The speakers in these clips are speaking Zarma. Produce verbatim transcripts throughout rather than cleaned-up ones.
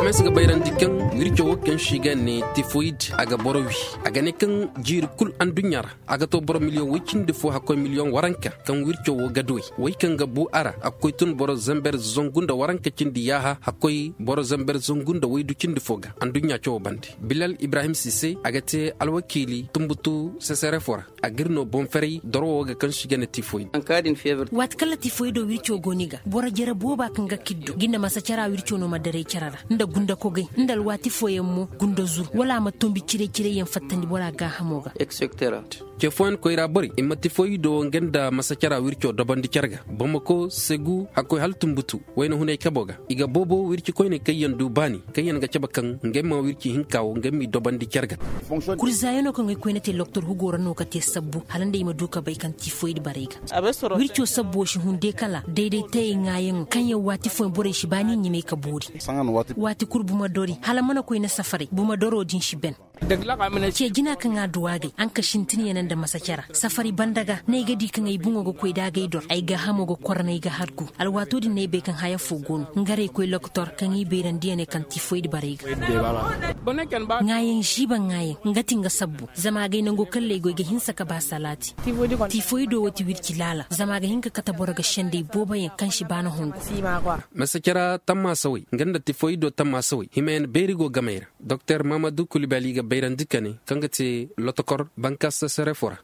Mes ga bayrandi kaŋ wirco wo kaŋ se i ga ne tifoyid, a ga boro wi. A ga ne kaŋ jiiri kulu anduɲɲa ra a ga to boro miliyoŋ way cindi fo hakkoy miliyoŋ waranka kaŋ wirco wo ga duw'ey. Way kaŋ ga bu a ra a ga koy tun boro zamber zangu nda waranka cindi yaaha hakkoy boro zamber zangu nda waydu cindi fo ga anduɲɲa cawo bande. Bilal ibrahim sise a ga te alwakiili tumbutu sesere fo ra. A ga iri no boŋ ferey doro wo ga kaŋ se i ga ne tifoyid. Waati kaŋ tifoyido wirco go ni ga boro jare booba kaŋ ga kiddo ga i na masacara wirco no ma daray care ra nda gunda kogay nda alwaati fooyaŋ mo gunda zur wala a ma tombi ciray-ciray yaŋ fattandi bora gaahamo ga. Ce fooyaŋ koyra borey i ma tifoyido nga nda masacara wirco dobandi care ga bamako segu hakkoy hala tumbutu wayna hunay kabo ga i ga boobo wirci koyney kaŋ yaŋ du baani kaŋ yaŋ ga cabe kaŋ ngey ma wirci hinka wo ngey m'i dobandi care ga. Kurzaayano kaŋ ay koyne te loktor hugo ra no ga te sabbu hala nd'ay ma du ga bay kaŋ tifoyid barey ga wirco sabbo si hun day kala dayday tayey ŋaayaŋo kaŋ yaŋ waati fooyaŋ borey si ba ni ɲimay ga boori. Waati kulu buma dori hala mana koyne safaray buma doro din si ben. Ce jina kaŋ a du a gay a nga sintin yaŋ nda masacara safari banda ga no ay ga di kaŋ ay boŋo ga koy da agay dor ay gaahamo ga korranay ga hargu. Alwaato din no ay bay kaŋ haya fo go no nga ra ay koy loktor kaŋ i bayrandi yaŋ ne kaŋ tifoyid barey ga. Ŋaayaŋ ziiba ŋaayaŋ nga ti nga sabbu zama a gay nango kaŋ lay goy ga hinsa ga ba salaati. Tifoyido wo ti wirci laala zama a ga hin ga kate boro ga senday boobo yaŋ kaŋ si ba na hongu. Masacara tammaasawey nga nda tifoyido tammaasawey himayaŋ beeri go gamey ra. Doktor mahamadu kulibali ga bayrandi ka ne kaŋ ga te lotokor bankas sesere fo ra.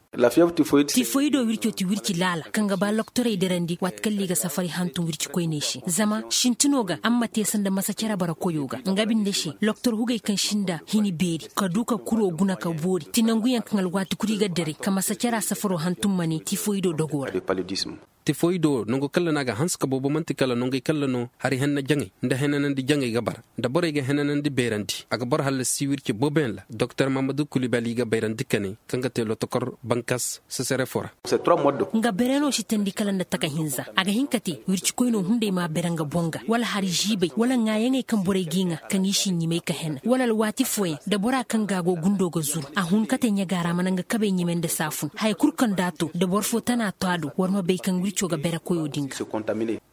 Tifoyido wirco ti wirci laala kaŋ ga ba loktorey dirandi waati kaŋ liga safari hantum wirci koyney se zama sintino ga amma te sanda masacara bara koyo ga nga binde se loktor hugey kaŋ sinda hini beeri ka du ka kuro guna ka boori ti nanguyaŋ kaŋ alwaati kuri ga dare ka masacara safaro hantum ma ne tifoyido dogo ra. Tifoyido nango kalla no a ga hanse ka boobo manti kala nangey kalla no hari henna jaŋey nda henanandi jaŋey ga bara nda borey ga henanandi beerandi a ga boro hallasi wirce booboyaŋ ra doktor mahamadu kulibali ga bayrandi ka ne kaŋ ga te lotokor bankas sesere fo ra. Nga beere no si teendi kala nda taka hinza a ga hin ka te wirci koyno hunday ma beere nga boŋ ga wala hari ziibay wala ŋaayaŋey kaŋ borey g'i ŋaa kaŋ i si ɲimay ka hena wala alwaati fooyaŋ da bora kaŋ ga go gundo ga zuru a hun ka te ɲaga ra mana nga kabey ɲimay nda saafun haya kulu kaŋ da a to da boro fo tana to a do war ma bay kaŋ wirco ga beere koyo din ga.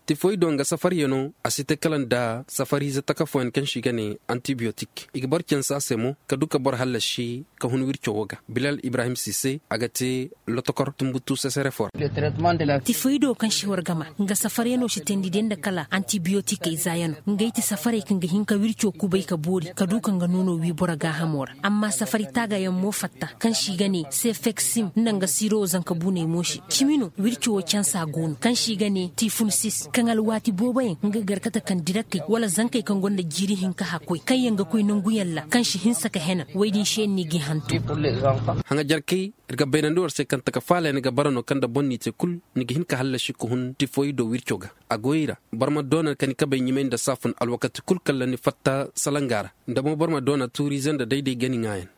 Tifoy do nga safariyaŋo a si te kala nda safariize taka fooyaŋ kaŋ se i ga ne antibiyotik i ga boro canse a se mo ka du ka boro hallasi ka hun wirco wo ga bilal ibrahim sise a ga te lotokor tumbutu sesere fo ra. Tifoy do kaŋ se war ga ma nga safariyaŋo si teendi day nda kala antibiyotikey zaayaŋo ngey ti safarey kaŋ ga hin ka wirco kubay ka boori ka du ka nga noono wi boro gaahamo ra amma safari taagayaŋ mo fatta kaŋ se i ga ne sefeksim nda nga siiro zanka buuney mo se cimi no wirco wo cansa go no kaŋ se i ga ne tifunsis kaŋ alwaati booboyaŋ nga garkata kaŋ dirakey wala zankey kaŋ gonda jiiri hinka hakkoy kaŋ yaŋ ga koy nanguyaŋ ra kaŋ si hinsa ka hena woy din se yaŋ no i g'i hantum. Haŋajarkey iri ga bayrandi war se kaŋ taka faala yaŋ ga bara no kaŋ nda boro n'i te kulu ni ga hin ka hallasi ka hun tifoy do wirco ga a go i ra boro ma doona ka ni kabey ɲumay nda saafun alwakati kulu kala ni fatta salanga ra nda mo boro ma doona tuuriize nda dayday ga ni ŋaayan.